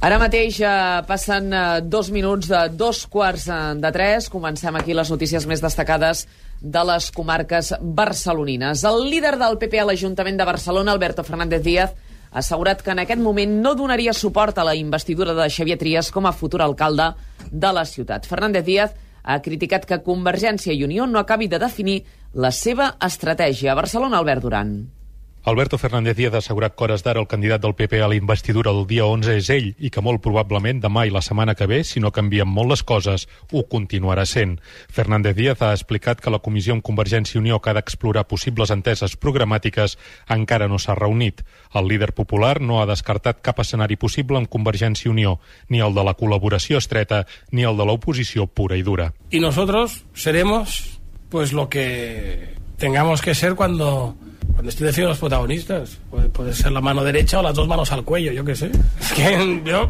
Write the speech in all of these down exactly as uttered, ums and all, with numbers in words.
Ara mateix eh, passen eh, dos minuts de dos quarts de tres. Comencem aquí les notícies més destacades de les comarques barcelonines. El líder del P P a l'Ajuntament de Barcelona, Alberto Fernández Díaz, ha assegurat que en aquest moment no donaria suport a la investidura de Xavier Trias com a futur alcalde de la ciutat. Fernández Díaz ha criticat que Convergència i Unió no acabi de definir la seva estratègia. A Barcelona, Albert Duran. Alberto Fernández Díaz ha assegurat que hores d'ara el candidat del P P a la investidura del dia onze és ell i que molt probablement demà i la setmana que ve, si no canvien molt les coses, ho continuarà sent. Fernández Díaz ha explicat que la comissió amb Convergència i Unió que ha d'explorar possibles enteses programàtiques encara no s'ha reunit. El líder popular no ha descartat cap escenari possible amb Convergència i Unió, ni el de la col·laboració estreta ni el de l'oposició pura i dura. Y nosotros seremos pues lo que tengamos que ser cuando... Cuando estoy definiendo los protagonistas, puede, puede ser la mano derecha o las dos manos al cuello, yo qué sé. Es que yo,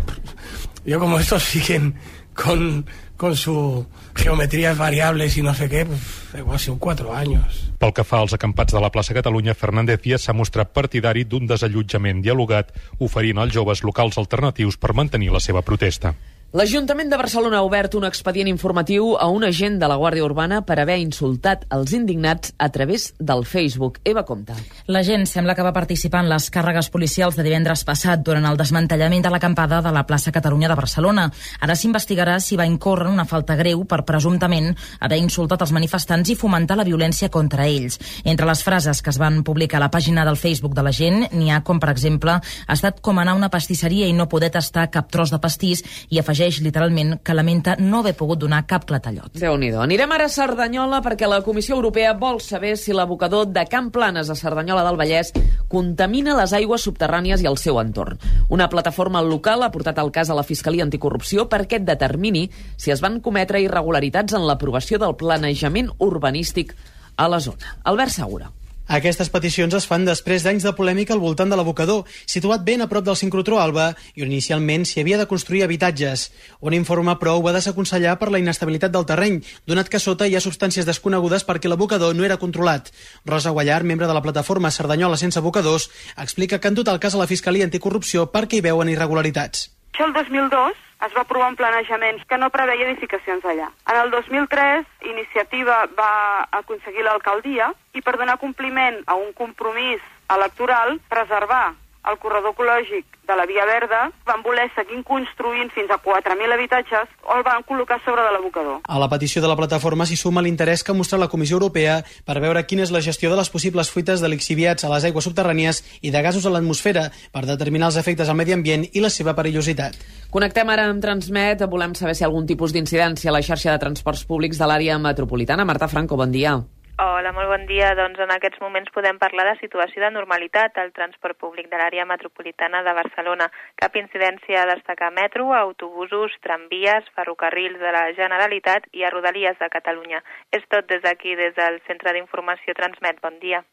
yo como estos siguen con, con su geometrías variables y no sé qué, pues igual son cuatro años. Pel que fa als acampats de la plaça Catalunya, Fernández Díaz s'ha mostrat partidari d'un desallotjament dialogat, oferint als joves locals alternatius per mantenir la seva protesta. L'Ajuntament de Barcelona ha obert un expedient informatiu a un agent de la Guàrdia Urbana per haver insultat els indignats a través del Facebook. Eva Comte. L'agent sembla que va participar en les càrregues policials de divendres passat durant el desmantellament de l'acampada de la plaça Catalunya de Barcelona. Ara s'investigarà si va incórrer en una falta greu per presumptament haver insultat els manifestants i fomentar la violència contra ells. Entre les frases que es van publicar a la pàgina del Facebook de l'agent n'hi ha com, per exemple, ha estat com anar a una pastisseria i no poder tastar cap tros de pastís i afegeix literalment que lamenta no haver pogut donar cap clatallot. Déu-n'hi-do. Anirem ara a Cerdanyola perquè la Comissió Europea vol saber si l'abocador de Can Planes a Cerdanyola del Vallès contamina les aigües subterrànies i el seu entorn. Una plataforma local ha portat el cas a la Fiscalia Anticorrupció perquè determini si es van cometre irregularitats en l'aprovació del planejament urbanístic a la zona. Albert Segura. Aquestes peticions es fan després d'anys de polèmica al voltant de l'abocador, situat ben a prop del sincrotró Alba, i on inicialment s'hi havia de construir habitatges. Un informe, però, ho va desaconsellar per la inestabilitat del terreny, donat que sota hi ha substàncies desconegudes perquè l'abocador no era controlat. Rosa Guallar, membre de la plataforma Cerdanyola sense abocadors, explica que han dut el cas a la Fiscalia Anticorrupció perquè hi veuen irregularitats. Això el dos mil dos es va aprovar un planejament que no preveia edificacions allà. En el dos mil tres, Iniciativa va aconseguir l'alcaldia i per donar compliment a un compromís electoral, preservar el corredor ecològic de la Via Verda, van voler seguir construint fins a quatre mil habitatges o el van col·locar sobre de l'abocador. A la petició de la plataforma s'hi suma l'interès que ha mostrat la Comissió Europea per veure quina és la gestió de les possibles fuites de lixiviats a les aigües subterrànies i de gasos a l'atmosfera per determinar els efectes al medi ambient i la seva perillositat. Connectem ara amb Transmet. Volem saber si hi ha algun tipus d'incidència a la xarxa de transports públics de l'àrea metropolitana. Marta Franco, bon dia. Hola, molt bon dia. Doncs en aquests moments podem parlar de situació de normalitat al transport públic de l'àrea metropolitana de Barcelona. Cap incidència a destacar a metro, a autobusos, tramvies, ferrocarrils de la Generalitat i a Rodalies de Catalunya. És tot des d'aquí, des del Centre d'Informació Transmet. Bon dia.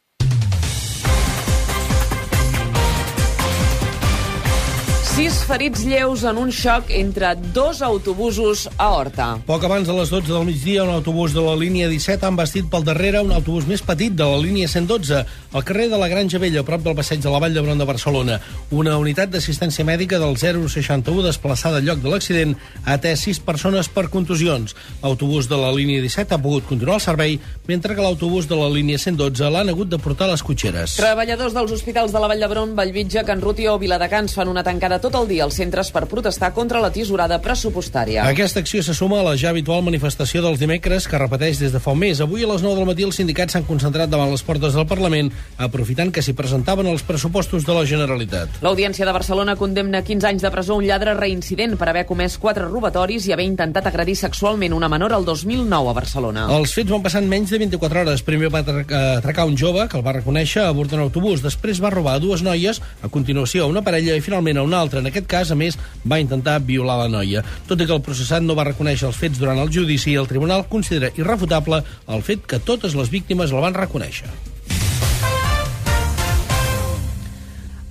Sis ferits lleus en un xoc entre dos autobusos a Horta. Poc abans de les dotze del migdia, un autobús de la línia disset ha embastit pel darrere un autobús més petit de la línia cent dotze, al carrer de la Granja Vella, a prop del passeig de la Vall d'Hebron de Barcelona. Una unitat d'assistència mèdica del zero seixanta u desplaçada al lloc de l'accident ha atès sis persones per contusions. L'autobús de la línia disset ha pogut continuar el servei, mentre que l'autobús de la línia cent dotze l'han hagut de portar a les cotxeres. Treballadors dels hospitals de la Vall d'Hebron, Vallvitge, Can Ruti o Viladecans fan una tancada tot el dia als centres per protestar contra la tisorada pressupostària. Aquesta acció se suma a la ja habitual manifestació dels dimecres, que repeteix des de fa un mes. Avui a les nou del matí els sindicats s'han concentrat davant les portes del Parlament, aprofitant que s'hi presentaven els pressupostos de la Generalitat. L'Audiència de Barcelona condemna quinze anys de presó un lladre reincident per haver comès quatre robatoris i haver intentat agredir sexualment una menor el dos mil nou a Barcelona. Els fets van passar en menys de vint-i-quatre hores. Primer va atracar un jove, que el va reconèixer, a bord d'un autobús. Després va robar a dues noies, a continuació a una parella i finalment a una altra. En aquest cas, a més, va intentar violar la noia. Tot i que el processat no va reconèixer els fets durant el judici, el tribunal considera irrefutable el fet que totes les víctimes el van reconèixer.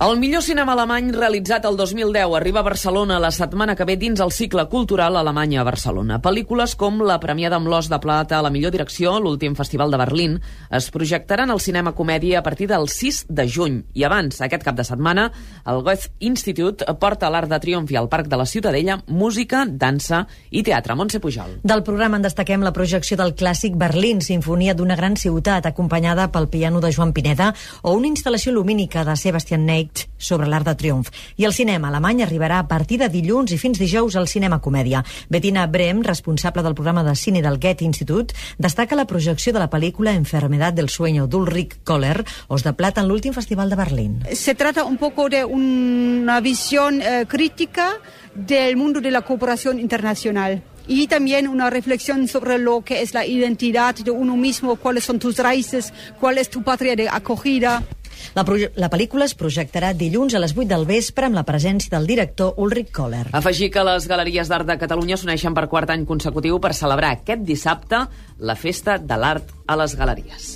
El millor cinema alemany realitzat el dos mil deu arriba a Barcelona la setmana que ve dins el cicle cultural Alemanya a Barcelona. Pel·lícules com la premiada amb l'Os de Plata a la millor direcció, l'últim festival de Berlín, es projectaran al cinema comèdia a partir del sis de juny. I abans, aquest cap de setmana, el Goethe Institute porta a l'Arc de Triomf i al Parc de la Ciutadella música, dansa i teatre. Montse Pujol. Del programa en destaquem la projecció del clàssic Berlín, sinfonia d'una gran ciutat, acompanyada pel piano de Joan Pineda, o una instal·lació lumínica de Sebastian Ney sobre l'Arc de Triomf. I el cinema alemany arribarà a partir de dilluns i fins dijous al cinema comèdia. Bettina Brehm, responsable del programa de cine del Goethe Institut, destaca la projecció de la pel·lícula Enfermedad del sueño d'Ulrich Köhler, Os de Plata, en l'últim festival de Berlín. Se trata un poco de una visión eh, crítica del mundo de la cooperación internacional. Y también una reflexión sobre lo que es la identidad de uno mismo, cuáles son tus raíces, cuál es tu patria de acogida. La, la pel·lícula es projectarà dilluns a les vuit del vespre amb la presència del director Ulrich Köhler. Afegir que les Galeries d'Art de Catalunya s'uneixen per quart any consecutiu per celebrar aquest dissabte la Festa de l'Art a les Galeries.